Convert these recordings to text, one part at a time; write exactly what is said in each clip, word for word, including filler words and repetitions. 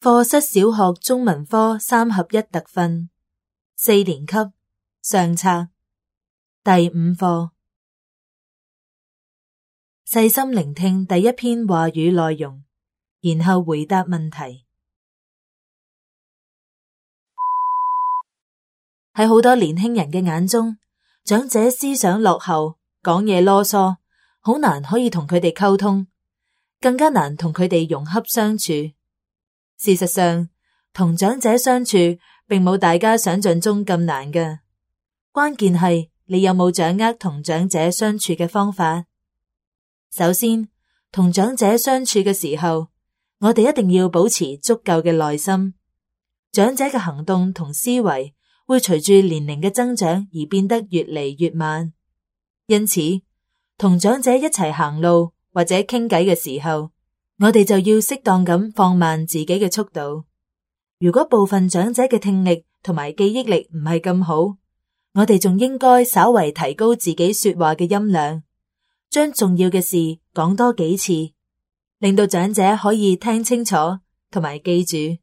課室小學中文科三合一特訓，四年級上冊第五課。細心聆聽第一篇話語內容，然後回答問題。喺好多年輕人嘅眼中，長者思想落後，講嘢囉嗦，好難可以同佢哋溝通，更加難同佢哋融洽相處。事實上，同長者相處並冇大家想象中咁難嘅，關鍵係你有冇掌握同長者相處嘅方法。首先，同長者相處嘅時候，我哋一定要保持足夠嘅耐心。長者嘅行動同思維會隨住年齡嘅增長而變得越嚟越慢，因此，同長者一齊行路或者傾偈嘅時候，我哋就要適當咁放慢自己嘅速度。如果部分長者嘅聽力同埋記憶力唔係咁好，我哋仲應該稍為提高自己說話嘅音量，將重要嘅事講多幾次，令到長者可以聽清楚同埋記住。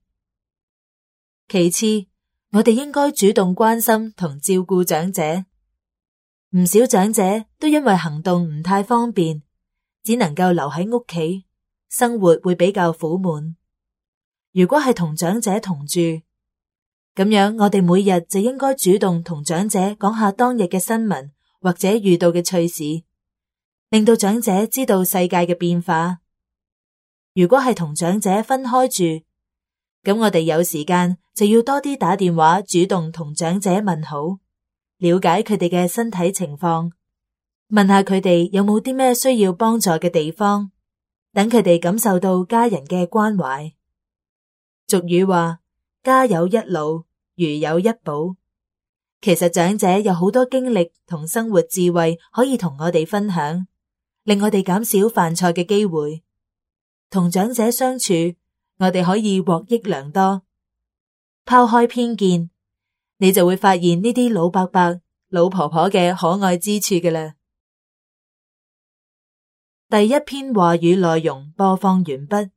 其次，我哋應該主動關心同照顧長者。唔少長者都因為行動唔太方便，只能夠留喺屋企，生活會比較苦悶。如果係同長者同住，咁樣我哋每日就應該主動同長者講下當日嘅新聞或者遇到嘅趣事，令到長者知道世界嘅變化。如果係同長者分開住，咁我哋有時間就要多啲打電話主動同長者問好，了解佢哋嘅身體情況，問下佢哋有冇啲咩需要幫助嘅地方，等佢哋感受到家人嘅關懷。俗語話，家有一老，如有一寶。其實長者有好多經歷同生活智慧可以同我哋分享，令我哋減少犯錯嘅機會。同長者相處，我哋可以獲益良多。拋開偏見，你就會發現呢啲老伯伯、老婆婆嘅可愛之處嘅啦。第一篇話語內容播放完畢。